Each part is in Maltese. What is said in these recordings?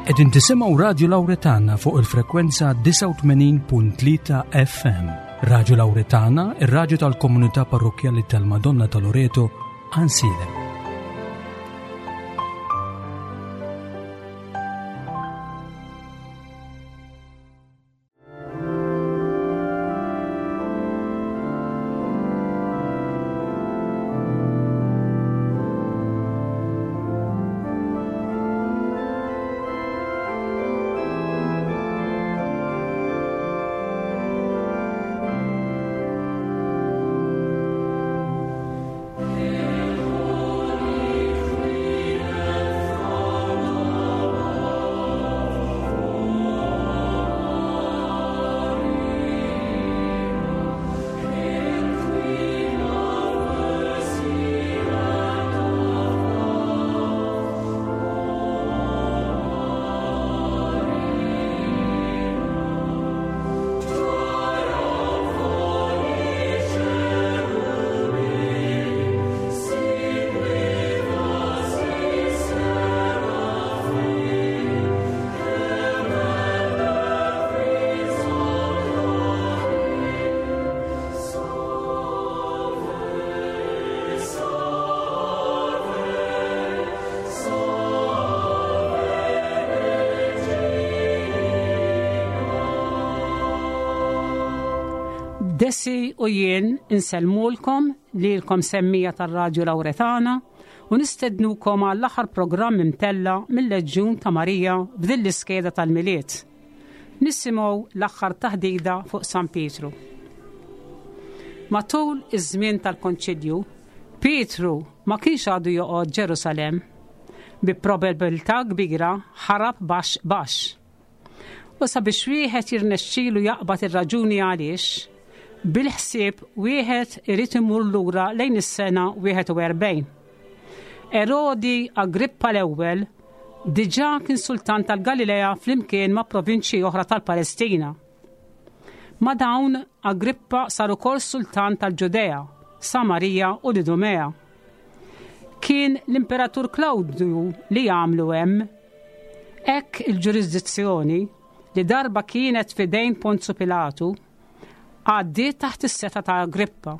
Qegħdin tisimgħu Radju Lawretana fuq il-frekwenza 89.3 FM. Radju Lawretana, ir-radju tal-komunità parrokkjali tal-Madonna ta' Loreto, Ansilem. Desi u jien insellmulkom lilkom semmija tar-Radju Lawretana u nistednukom għall-aħħar programm imtella' mil-Leġjun ta' Marija f'din l-iskeda tal-Milied. Nisimgħu l-aħħar taħdida fuq San Pietru. Matul iż-żmien tal-Konċilju, Pietru ma kienx għadu joqgħod Ġerusalemm. Bi probabilità kbira ħarab baxx baxx. U sabiex wieħed jirnexxilu jaqbad ir-raġuni għaliex, bil-ħsieb wieħed irid imur lura lejn is-sena 41. Erodi Agrippa l-ewwel diġà kien sultan tal-Galilea flimkien ma' provinċji oħra tal-Palestina. Ma' dawn Agrippa sar ukoll sultan tal-Ġudea, Samarija u l-Idumea. Kien l-Imperatur Klawdju li għamlu hemm. Hekk il-ġurisdizzjoni, li darba kienet f'idejn Ponzu Pilatu, għaddiet taħt is-setgħa ta' Agrippa.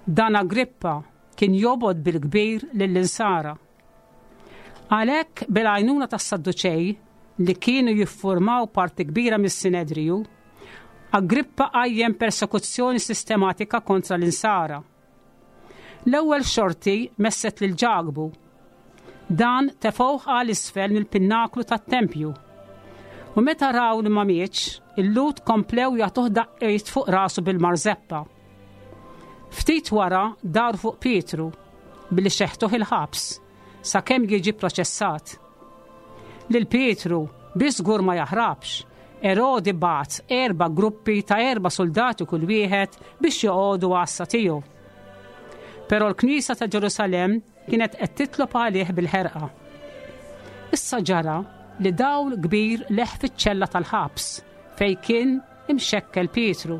Dan Agrippa kien jobgħod bil-kbir lill-Insara. Għalhekk, bil-għajnuna tas-Sadduċej, li kienu jiffurmaw parti kbira mis-Sinedriju, Agrippa qajjem persekuzzjoni sistematika kontra l-Insara. L-ewwel xorti messet lil Ġakbu. Dan tefgħuh għal isfel mill-pinnaklu tat-tempju. U meta raw li ma mietx, il-Lhud komplew jagħtuh daqqiet fuq rasu bil-marzeppa. Ftit wara daru fuq Pietru billi xeħtuh il-ħabs sakemm jiġi pproċessat. Lil Pietru biex żgur ma jaħrabx, Erodi bagħat erba' gruppi ta' erba' suldati kull wieħed biex joqogħdu għassa tiegħu. Però l-knisja ta' Ġerusalemm kienet qed titlob għalih bil-ħerqa. Issa ġara li dawl kbir leħ fiċ-ċella tal-ħabs fejn kien imxekkel Pietru,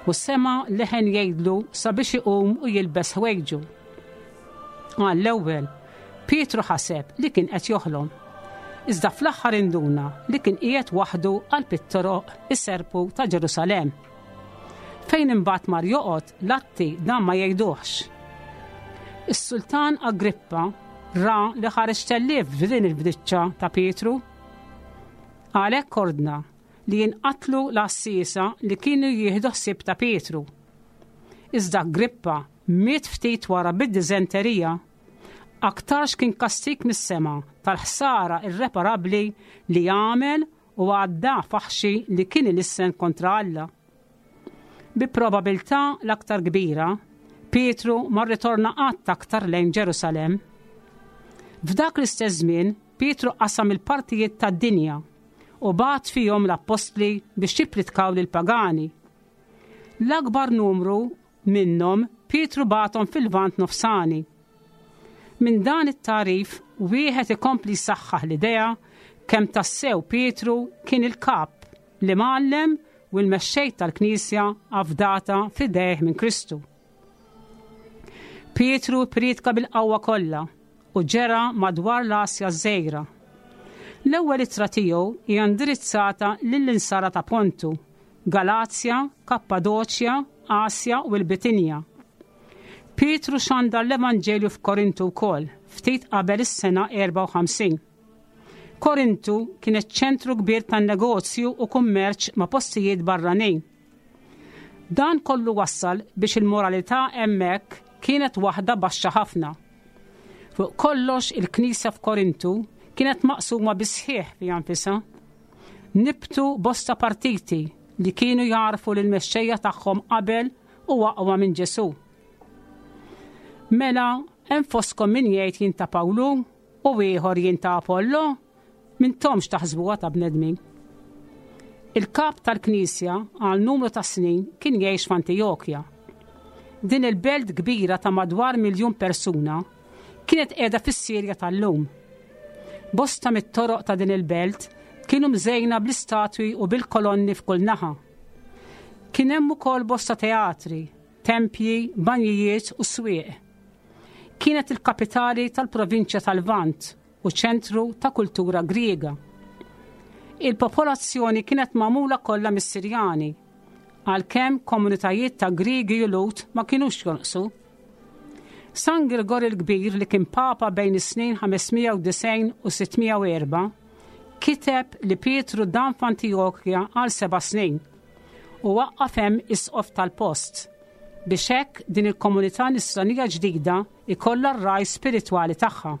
u sema' leħen jgħidlu sabiex iqum u jilbes ħwejġu. Għall-ewwel, Pietru ħaseb li kien qed joħlom. Iżda fl-aħħar induna li kien qiegħed waħdu qalb it-toroq iserpu ta' Ġerusalemm. Fejn imbagħad mar joqgħod l-atti dan ma jgħiduhx. Is-sultan Agrippa ra li ħareġ tellief f'din il-bdiċċa ta' Pietru. Għalhekk ordna li jinqatlu l-għassiesa li kienu jieħdu ħsieb ta' Pietru. Iżda Agrippa miet ftit wara bid-diżenterija. Aktarx kien kastig mis-sema tal-ħsara irreparabbli li għamel u għadda faħxi li kien ilissen kontra Alla. Bi probabilità l-aktar kbira, Pietru ma rritorna qatt aktar lejn Ġerusalemm. F'dak l-istess żmien, Pietru qasam il-partijiet tad-dinja u bagħat fihom l-appostli biex jippritkaw lill-pagani. L-akbar numru minnhom Pietru bagħathom fil-Lvant Nofsani. Minn dan it-tagħrif wieħed ikompli jsaħħaħ l-idea kemm tassew Pietru kien il-kap, l-imgħallem u l-mexxej tal-Knisja afdata f'idejh minn Kristu. Pietru ppriedka bil-qawwa kollha u ġera madwar l-Asja ż-Żgħira. L-ewwel ittra tiegħu hija indirizzata lill-insara ta' Pontu, Galazja, Kappadoċja, Asja u l-Bitinja. Pietru xandar l-Evanġelju f'Korintu wkoll, ftit qabel is-sena 54. Korintu kienet ċentru kbir tan-negozju u kummerċ ma' postijiet barranin. Dan kollu wassal biex il-moralità hemmhekk kienet waħda baxxa ħafna. Fuq kollox il-knisja f'Korintu kienet maqsuma bis-sħiħ fiha nfisha. Nibtu bosta partiti li kienu jagħrfu lill-mexxejja tagħhom qabel u aqwa minn Ġesù. Mela, hemm fostkom min jgħid jien ta' Pawlu u ieħor jien ta' Apollo? M'intomx taħsbuha ta' bnedmin. Il-kap tal-Knisja għal numru ta' snin kien jgħix f'Antijokja. Din il-belt kbira ta' madwar miljun persuna kienet qiegħda fis-Sirja tal-lum. Bosta mit-toroq ta' din il-belt kienu mżejna bl-istatwi u bil-kolonni f'kull naħa. Kien hemm ukoll bosta teatri, tempji, banjijiet u swieq. Kienet il-kapitali tal-provinċja tal-Lvant u ċentru ta' kultura Griega. Il-popolazzjoni kienet magħmula kollha mis-Sirjani, għalkemm komunitajiet ta' Griegi u Lhud ma kinux jonqsu. San Girgor il-Kbir li kien papa bejn is-snin 590 u 604 kiteb li Pietru dam f'Antijokja għal seba' snin u waqqaf hemm isqof tal-post biex hekk din il-komunità nisranija ġdida ikollha r-ragħaj spiritwali tagħha.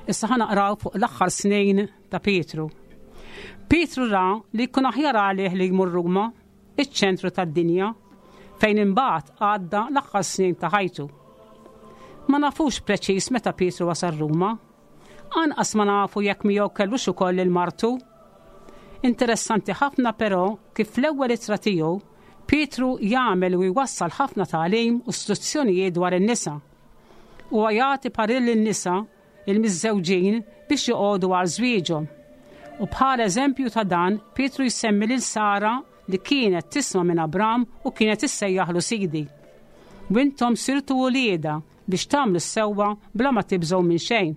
Issa ħa naqraw fuq l-aħħar snin ta' Pietru. Pietru ra li jkun aħjar għalih li jmur Ruma, iċ-ċentru tad-dinja, fejn imbagħad għadda l-aħħar snin ta' ħajtu. Ma nafux preċiż meta Pietru wasal Ruma. Anqas ma nafu jekk miegħu kellux ukoll lil martu. Interessanti ħafna però kif fl-ewwel ittra tiegħu Pietru jagħmel u jwassal ħafna tagħlim u struzzjonijiet dwar in-nisa. Huwa jagħti parir lin-nisa il-miżżewġin biex joqogħdu għal żwieġhom. U bħala eżempju ta' dan, Pietru jsemmi lil Sara li kienet tisma' minn Abram u kienet issejjaħlu sidi. U intom sirtu uliedha biex tagħmlu s-sewwa bla ma tibżgħu minn xejn.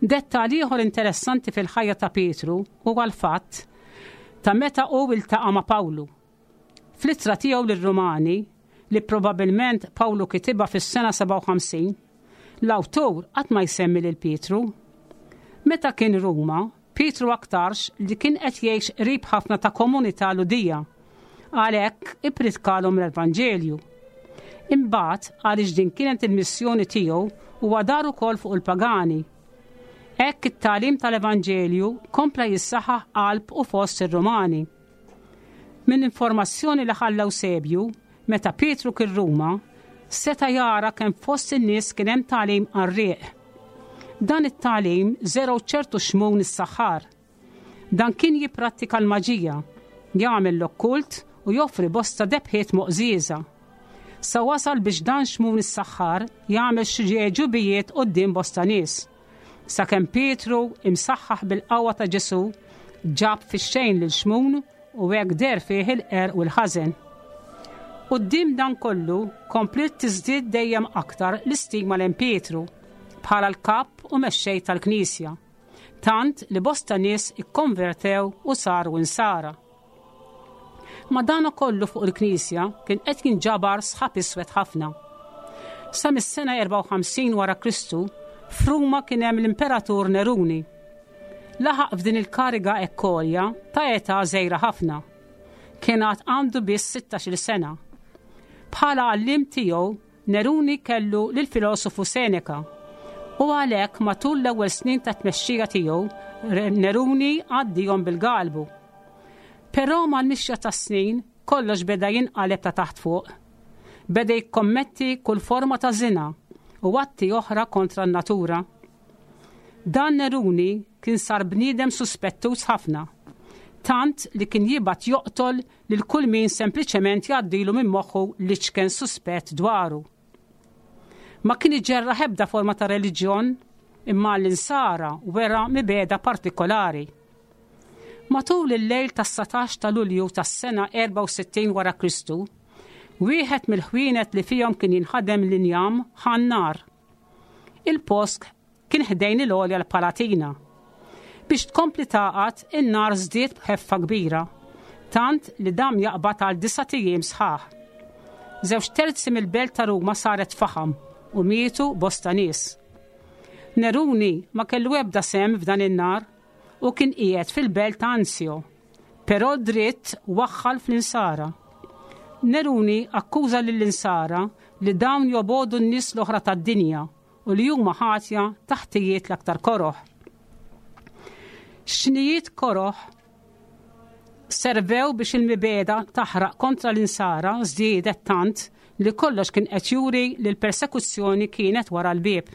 Dettal ieħor interessanti fil-ħajja ta' Pietru huwa l-fatt ta' meta hu iltaqa' ma' Pawlu. Fl-ittra tiegħu lir-Rumani, li probabbilment Pawlu kitibha fis-sena 57, l-awtur qatt ma jsemmi lil Pietru. Meta kien Ruma, Pietru aktarx li kien qed jgħix qrib ħafna ta' komunità Lhudija. Għalhekk ippritkalhom l-Evanġelju. Imbagħad, għaliex din kienet il-missjoni tiegħu, huwa dar ukoll fuq il-pagani. Hekk it-tagħlim tal-Evanġelju kompla jissaħħaħ qalb u fost ir-Rumani. Minn informazzjoni li ħalla Ewsebju, meta Pietru kien Ruma, seta' jara kemm fost in-nies kien hemm tagħlim qarrieq. Dan it-tagħlim żergħu ċertu Xmun is-saħħar. Dan kien jipprattika l-maġija, jagħmel l-okkult u joffri bosta debħiet moqżieża. Sa wasal biex dan Xmun is-saħħar jagħmel xi għeġubijiet quddiem bosta nies. Sakemm Pietru, imsaħħaħ bil-qawwa ta' Ġesù, ġab fix-xejn lil Xmun u hekk deher fih il-qerq u l-ħażen. Quddiem dan kollu kompliet tiżdied dejjem aktar l-istima lejn Pietru bħala l-kap u mexxej tal-Knisja, tant li bosta nies ikkonvertew u saru Insara. Madanakollu fuq il-Knisja kien qed jinġabar sħab iswed ħafna. Sa mis-sena 54 wara Kristu, f'Ruma kien hemm l-Imperatur Neruni. Laħaq f'din il-kariga hekk għolja ta' età żgħira ħafna. Kien għad għandu biss 16-il sena. Bħala għalliem tiegħu Neruni kellu lill-filosofu Seneca, u għalhekk matul l-ewwel snin tat-tmexxija tiegħu Neruni għaddihom bil-galbu. Però mal-mixja tas-snin kollox beda jinqaleb ta' taħt fuq. Beda jikkommetti kull forma ta' żina u atti oħra kontra n-natura. Dan Neruni kien sar bniedem suspettuż ħafna, tant li kien jibgħat joqtol lil kull min sempliċement jgħaddilu minn moħħu l-iċken suspett dwaru. Ma kien iġerraħ ebda forma ta' reliġjon, imma għall-Insara wera mibegħda partikolari. Matul il-lejl tas-satax ta' Lulju tas-sena 64 wara Kristu, wieħed mill-ħwienet li fihom kien jinħadem l-injam ħa n-nar. Il-post kien ħdejn il-għolja l-Palatina. Biex tkompli tagħqad, in-nar żdied b'ħeffa kbira, tant li dam jaqbad għal disat ijiem sħaħ. Żewġ terzi mill-belt ta' Ruma saret faħam u mietu bosta nies. Neruni ma kellu ebda sehem f'dan in-nar u kien qiegħed fil-belt ta' Anzio, però dritt waħħal fl-Insara. Neruni akkuża lill-Insara li dawn jobogħdu n-nies l-oħra tad-dinja u li huma ħatja ta' ħtijiet l-aktar koroh. Xnijiet koroh servew biex il-mibegħda taħraq kontra l-insara żdiedet tant li kollox kien qed juri li l-persekuzzjoni kienet wara l-bieb.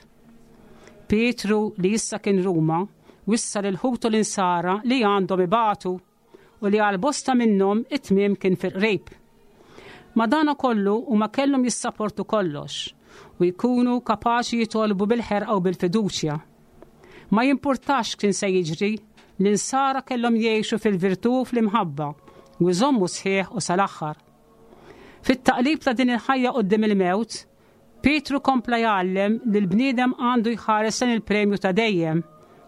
Pietru li issa kien Ruma wissa lil ħutu l-insara li għandhom ibatu u li għal bosta minnhom it-tmiem kien fil-qrib. Madanakollu huma kellhom jissaportu kollox u jkunu kapaċi jitolbu bil-ħerqa u bil-fiduċja. Ma jimpurtax x'kien se jiġri, l-insara kellhom jgħixu fil-virtù u fl-imħabba u jżommu sħiħ u sal-aħħar. Fit-taqlib ta' din il-ħajja quddiem il-mewt, Pietru kompla jgħallem li l-bniedem għandu jħares lejn il-premju ta' dejjem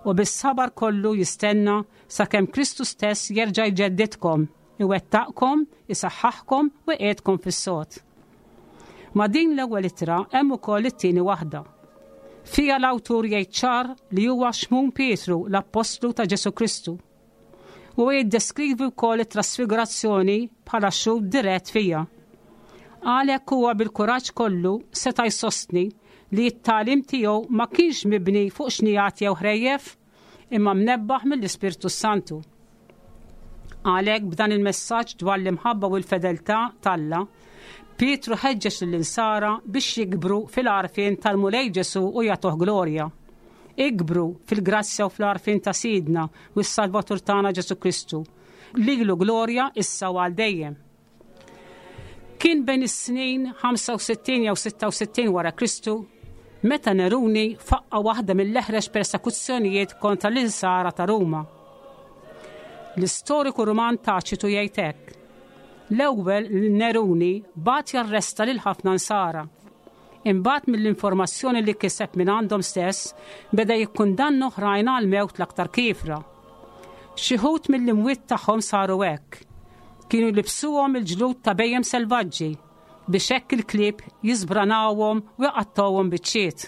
u bis-sabar kollu jistenna sakemm Kristu stess jerġa' jġeddidkom, iwettaqkom, isaħħaħkom u jqiegħdkom fis-sod. Ma' din l-ewwel ittra hemm ukoll it-tieni waħda. Fiha l-awtur jgħid ċar li huwa Xmun Pietru, l-appostlu ta' Ġesù Kristu. Huwa jiddeskrivi wkoll it-trasfigurazzjoni bħala xhud dirett fiha. Għalhekk huwa bil-kuraġġ kollu seta' jsostni li t-tagħlim tiegħu ma kienx mibni fuq xnigħat jew ħrejjef, imma mnebbaħ mill-Ispirtu s-Santu. Għalhekk b'dan il-messaġġ dwar l-imħabba u l-fedeltà t'Alla, Pietru ħeġġeġ lill-insara biex jikbru fil-għarfien tal-Mulej Ġesù u jagħtuh glorja. Ikbru fil-grazzja u fl-għarfien ta' Sidna u s-Salvatur tagħna Ġesù Kristu. Lilu glorja issa u għal dejjem. Kien bejn is-snin 65 jew 66 wara Kristu meta Neruni faqqa waħda mill-eħrex persekuzzjonijiet kontra l-insara ta' Ruma. L-istoriku Ruman Taċitu jgħid hekk. L-ewwel Neruni bagħat jarresta lil ħafna nsara. Imbagħad mill-informazzjoni li kiseb minn għandhom stess, beda jikkundanna oħrajn għal mewt l-aktar kiefra. Xi wħud mill-imwiet tagħhom saru hekk. Kienu jlibbsuhom il-ġlud ta' bhejjem selvaġġi biex hekk il-klieb jiżbranawhom u jqattgħuhom biċċiet.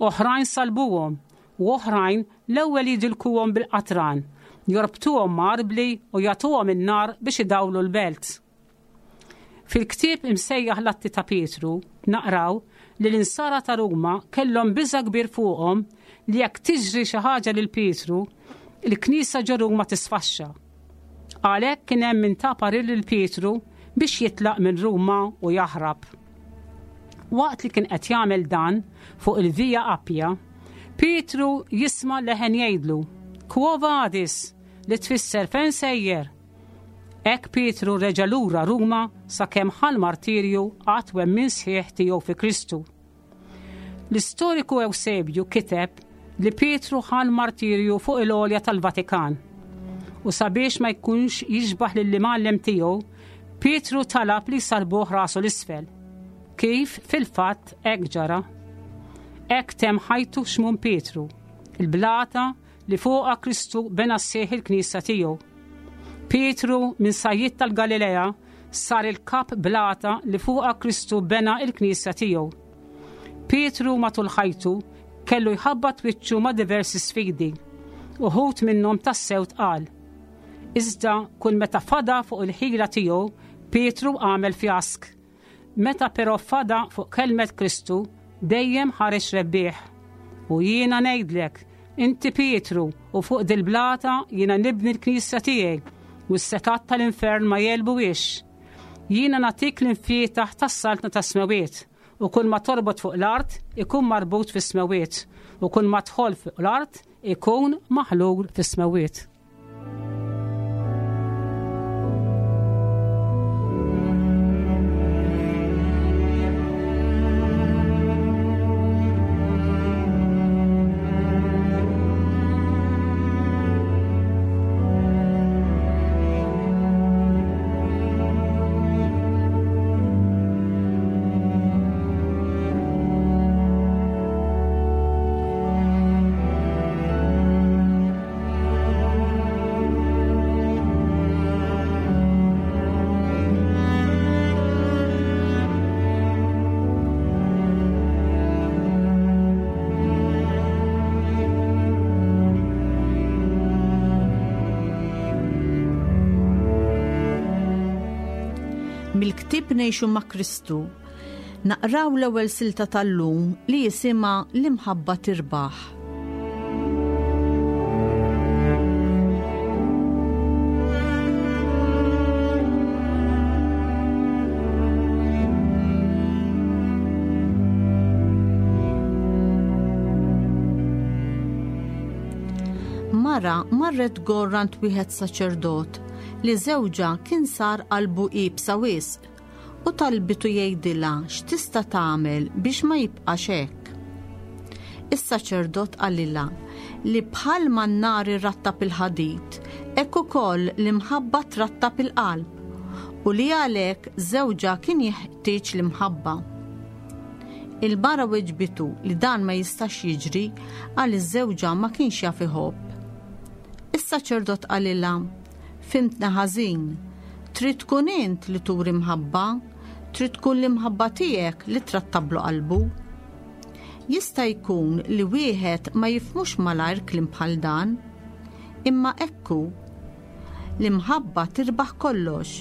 Oħrajn salbuhom u oħrajn l-ewwel jidilkuhom bil-qatran, jorbtuhom ma' arbli u jagħtuhom in-nar biex idawlu l-belt. Fil-ktieb imsejjaħ l-Atti ta' Pietru naqraw li l-insara ta' Ruma kellhom biża' kbir fuqhom li jekk tiġri xi ħaġa lil Pietru, il-Knisja ġo Ruma tisfaxxa. Għalhekk kien hemm min ta parir lil Pietru biex jitlaq minn Ruma u jaħrab. Waqt li kien qed jagħmel dan fuq il-Via Appia, Pietru jisma' leħen jgħidlu, Quo vadis? li tfisser fejn sejjer? Hekk Pietru reġa' lura Ruma sakemm ħa l-martirju għat-twemmin sħiħ tiegħu fi Kristu. L-istoriku Ewsebju kiteb li Pietru ħa l-martirju fuq il-għolja tal-Vatikan. U sabiex ma jkunx jixbaħ lill-imgħallem tiegħu, Pietru talab li jsallbuh rasu l-isfel. Kif fil-fatt hekk ġara. Hekk temm ħajtu Xmun Pietru, il-blata li fuqha Kristu bena sħiħ il-Knisja tiegħu. Pietru minn sajjied tal-Galilea sar il-kap blata li fuqha Kristu bena il-Knisja tiegħu. Pietru matul ħajtu kellu jħabbat wiċċu ma' diversi sfidi, uħud minnhom tassew tqal. Iżda kull meta fada fuq il-ħila tiegħu, Pietru għamel fjask. Meta però fada fuq kelmet Kristu, dejjem ħareġ rebbieħ. U jiena ngħidlek, inti Pietru, u fuq dil-blata jiena nibni l-knisja tiegħi, u s-setgħat tal-infern ma jegħlbuhiex. Jiena nagħtik l-imfietaħ tas-saltna tas-smewiet, u kull ma torbot fuq l-art ikun marbut fis-smewiet, u kull ma tħoll fuq l-art ikun maħlul fis-smewiet. Mill-ktieb Ngħixu ma' Kristu naqraw l-ewwel silta tal-lum li jisimha L-imħabba tirbaħ. Mara marret tgorr għand wieħed saċerdot li żewġha kien sar qalbu iebsa wisq u talbitu jgħidilha x'tista' tagħmel biex ma jibqax hekk. Is-saċerdot qalilha li bħalma n-nar irattab il-ħadid, hekk ukoll l-imħabba trattab il-qalb u li għalhekk żewġha kien jeħtieġ l-imħabba. Il-mara weġbitu li dan ma jistax jiġri għaliex żewġha ma kienx jaf iħobb. Is-saċerdot qalilha, Fhimtni ħażin. Trid tkun int li turi mħabba, trid tkun l-imħabba tiegħek li trattablu qalbu. Jista' jkun li wieħed ma jifhmux malajr kliem bħal dan, imma hekk hu. L-imħabba tirbaħ kollox.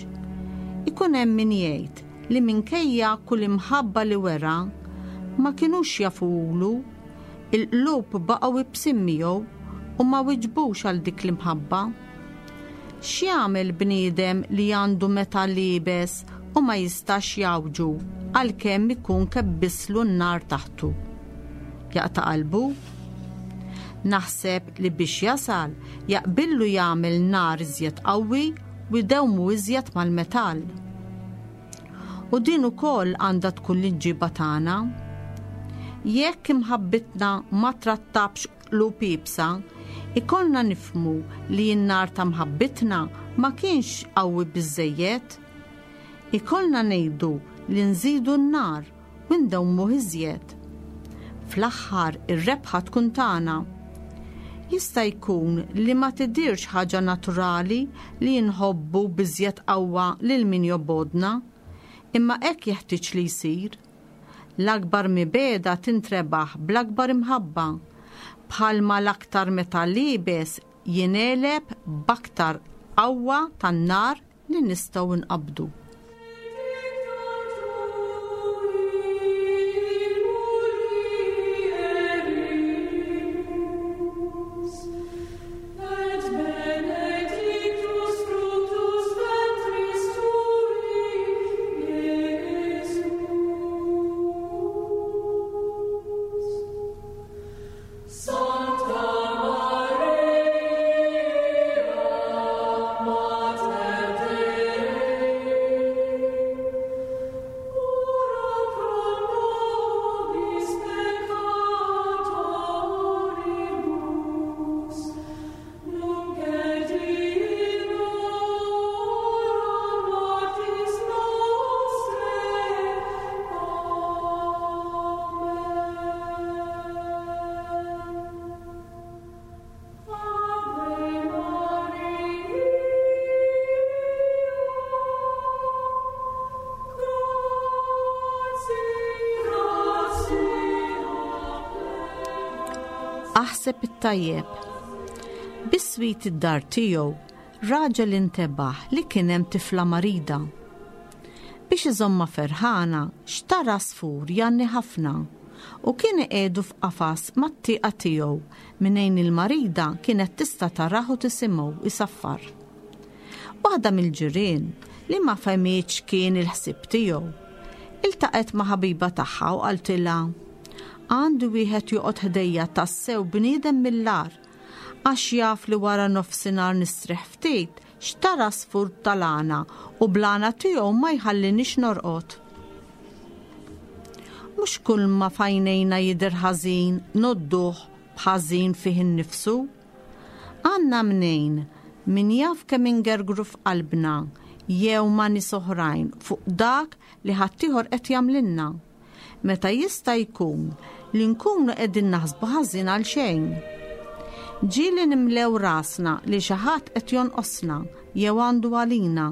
Ikun hemm min jgħid li minkejja kull imħabba li wera, ma kinux jafuhulu, il-qlub baqgħu ibsin miegħu u ma wiġbux għal dik l-imħabba. X'jagħmel bniedem li għandu metall iebes u ma jistax jgħawġu għalkemm ikun kebbislu n-nar taħtu? Jaqta' qalbu? Naħseb li biex jasal jaqbillu jagħmel nar iżjed qawwi u jdewmu iżjed mal-metall. U din ukoll għandha tkun l-imġiba tagħna. Jekk imħabbitna ma trattabx qlub iebsa, ikollna nifhmu li n-nar ta' mħabbitna ma kienx qawwi biżżejjed. Ikollna ngħidu li nżidu n-nar u ndewmuh iżjed. Fl-aħħar ir-rebħa tkun tagħna. Jista' jkun li ma tidhirx ħaġa naturali li nħobbu b'iżjed qawwa lil min jobgħodna, imma hekk jeħtieġ li jsir. L-akbar mibegħda tintrebaħ bl-akbar imħabba, bħalma l-aktar metall iebes jingħeleb b'aktar qawwa tan-nar li nistgħu nqabbdu. Aħseb it-tajjeb. Biswit id-dar tiegħu, raġel intebaħ li kien hemm tifla marida. Biex iżommha ferħana, xtara għasfur jgħanni ħafna u kien iqiegħdu f'qafas mat-tieqa tiegħu minejn il-marida kienet tista' tarah u tisimgħu jsaffar. Waħda mill-ġirien, li ma fehmitx x'kien il-ħsieb tiegħu, iltaqgħet ma' ħabiba tagħha u qaltilha, Għandu wieħed joqgħod ħdejja tassew bniedem mill-agħar, għax jaf li wara nofsinhar nistrieħ ftit, Xtara għasfur tal-għana u bl-għana tiegħu ma jħallinix norqod. Mhux kulma f'għajnejna jidher ħażin ngħodduh b'ħażin fih innifsu. Għandna mnejn min jaf kemm ingergru f'qalbna jew ma' nies oħrajn fuq dak li ħaddieħor qed jagħmlilna. meta jista' jkun li nkunu qegħdin naħsbu ħażin għal xejn. Ġieli nimlew rasna li xi ħadd qed jonqosna jew għandu għalina,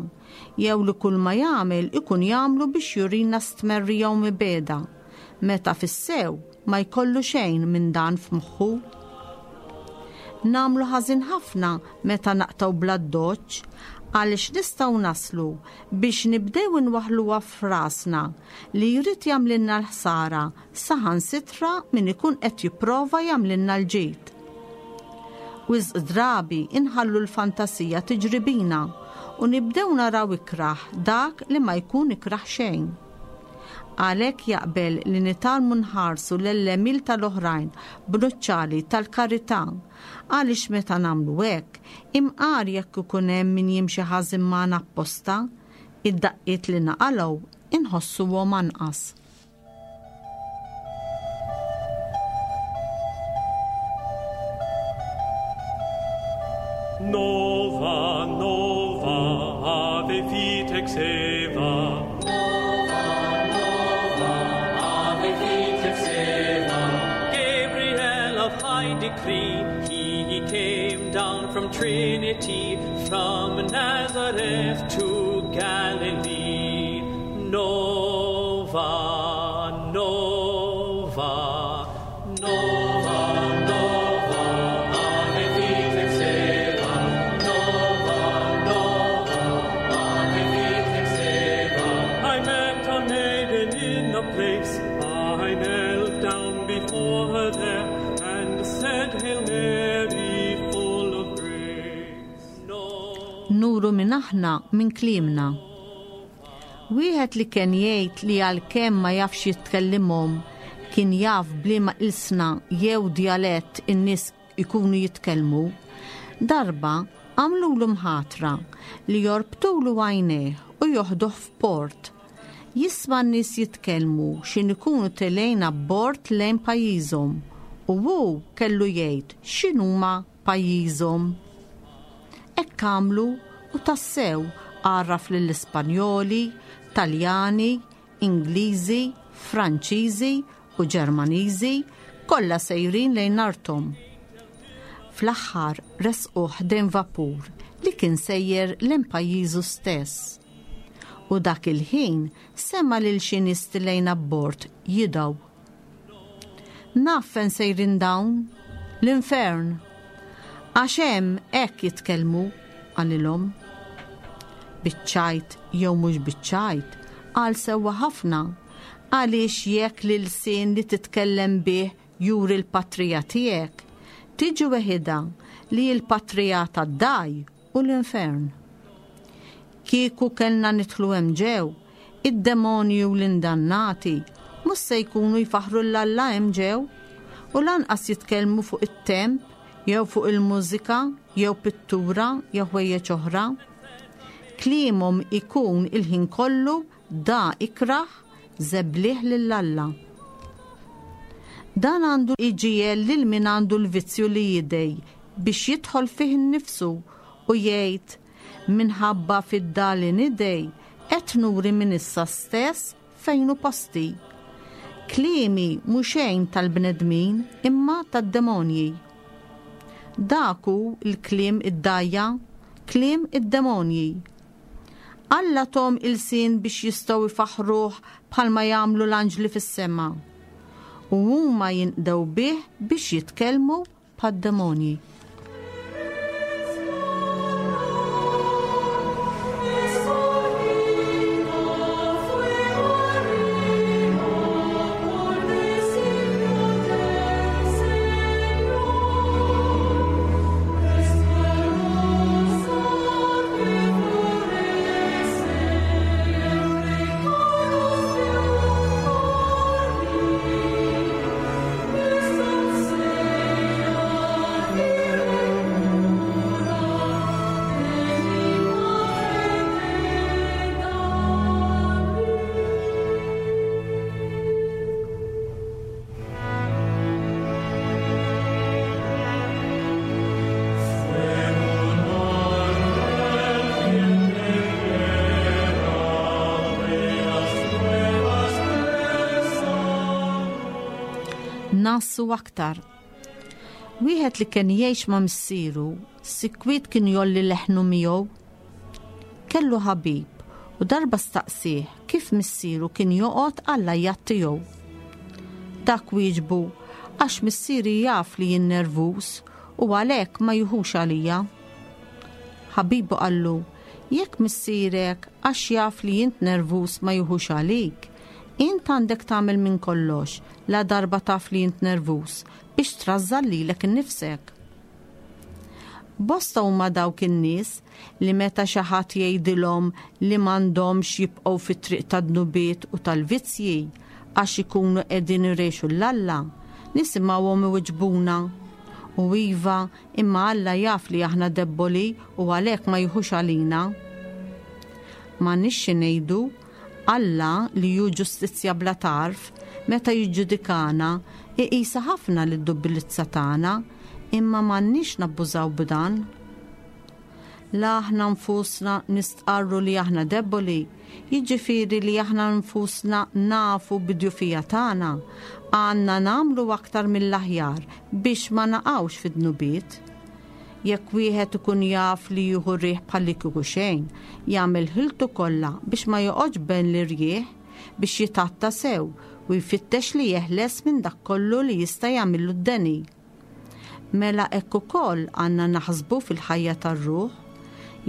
jew li kull ma jagħmel ikun jagħmlu biex jurina stmerrija u mibegħda, meta fis-sew ma jkollu xejn minn dan f'moħħu. Nagħmlu ħażin ħafna meta naqtgħu bl-addoċċ. Għaliex nistgħu naslu biex nibdew inwaħħluha f'rasna li jrid jagħmlilna l-ħsara saħansitra min ikun qed jipprova jagħmlilna l-ġid. Wisq drabi inħallu l-fantasija tiġri bina u nibdew naraw ikrah dak li ma jkun ikrah xejn. Għalhekk jaqbel li nitgħallmu nħarsu l-għemil tal-oħrajn b'nuċċali tal-karità, għaliex meta nagħmlu hekk, imqar jekk ikun hemm min jimxi ħażin magħna apposta, id-daqqiet li naqalgħu inħossuhom anqas. Nova, nova, ave vitex Eva. Nova, nova, ave vitex Eva. Gabriel of high decree, he came down from Trinity, from Nazareth to Galilee. Nova, nova, nova, nova, ave vitex Eva. Nova, nova, ave vitex Eva. I met a maiden in a place, I knelt down before her there, and said, Hail Mary, full of grace. Nuru min aħna minn kliemna. Wieħed li kien jgħid li għalkemm ma jafx jitkellimhom kien jaf b'liema ilsna jew djalett in-nies ikunu jitkellmu, darba għamlulu mħatra li jorbtulu għajnejh u joħduh f'port. Jisma' n-nies jitkellmu x'in ikunu telgħin abbord lejn pajjiżhom u hu kellu jgħid x'inhuma pajjiżhom. Hekk għamlu u tassew għarraf lill-Ispanjoli, Taljani, Ingliżi, Franċiżi u Ġermaniżi kollha sejrin lejn arthom. Fl-aħħar resquh ħdejn vapur li kien sejjer lejn pajjiżu stess. U dak il-ħin sema' lil xi nies tilgħin abbord jidgħu. Naf fejn sejrin dawn, l-infern. Għax hemm hekk jitkellmu, qalilhom. Biċ-ċajt jew mhux biċ-ċajt, qal sewwa ħafna, għaliex jekk l-ilsien li titkellem bih juri l-patrija tiegħek, tiġi weħidha li l-patrija tad-dagħaj u l-infern. Kieku kellna nidħlu hemm ġew, id-demonji u l-indannati mhux se jkunu jfaħħru 'l Alla hemm ġew, u lanqas jitkellmu fuq it-temp jew fuq il-mużika jew pittura jew ħwejjeġ oħra. Kliemhom ikun il-ħin kollu da ikrah żebliħ lil Alla. Dan għandu jġiegħel lil min għandu l-vizzju li jidgħi biex jidħol fih innifsu u jgħid, Minħabba fid-da li nidgħi, qed nuri minn issa stess fejn hu posti. Kliemi mhu xejn tal-bnedmin imma tad-demonji. Dak hu l-kliem id-dgħajja, kliem id-demonji. Alla thom ilsien biex jistgħu jfaħħruh bħalma jagħmlu l-anġli fis-sema. U huma jinqdew bih biex jitkellmu bħad-demonji. Ngħassu aktar. Wieħed li kien jgħix ma' missieru, sikwit kien jolli leħnu miegħu. Kellu ħabib u darba staqsih kif missieru kien joqgħod għall-għajjat tiegħu. Dak wieġbu għax missieri jaf li jien nervuż u għalhekk ma jiħux għalija. Ħabibu qallu. Jekk missierek għax jaf li int nervuż ma jiħux għalik, int għandek tagħmel minn kollox la darba taf li int nervuż biex trażżan lilek innifsek. Bosta huma dawk in-nies li meta xi ħadd jgħidilhom li m'għandhomx jibqgħu fit-triq tad-dnubiet u tal-vizzji għax ikunu qegħdin irexu 'l Alla, nisimgħuhom iwiġbuna, U iva, imma Alla jaf li aħna debboli u għalhekk ma jiħux għalina. M'għandniex xi ngħidu, Alla, li hu ġustizzja bla tarf, meta jiġġudikana, iqisha ħafna lid-dubbilizza tagħna, imma m'għandniex nabbużaw b'dan. La aħna nfusna nistqarru li aħna debboli, jiġifieri li aħna nfusna nafu bid-djufija tagħna, għandna nagħmlu aktar mill-aħjar biex ma naqgħux fid-dnubiet. Jekk wieħed ikun jaf li jieħu riħ bħallikieku xejn, jagħmel ħiltu kollha biex ma joqgħodx bejn l-irjieħ biex jitgħatta sew u jfittex li jeħles minn dak kollu li jista' jagħmillu d-deni. Mela hekk ukoll għandna naħsbu fil-ħajja tar-ruħ.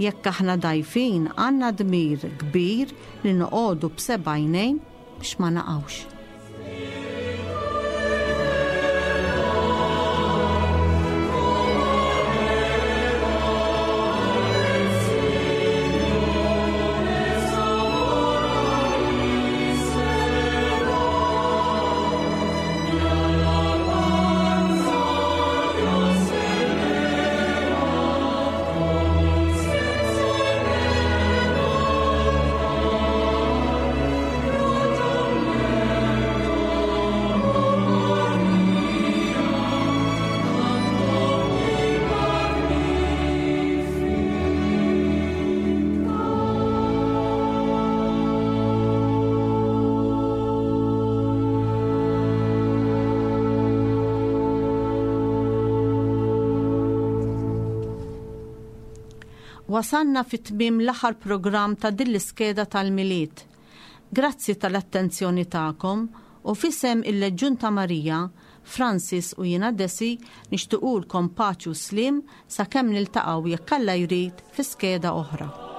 Jekk aħna dgħajfin għandna dmir kbir li noqogħdu b'seba' għajnejn biex ma naqgħux. Wasalna fi tmiem l-aħħar programm ta' din l-iskeda tal-Milied. Grazzi tal-attenzjoni tagħkom u f'isem il-Leġjun ta' Marija, Francis u jiena Desi nixtiqulkom paċi u sliem sakemm niltaqgħu jekk Alla jrid fi skeda oħra.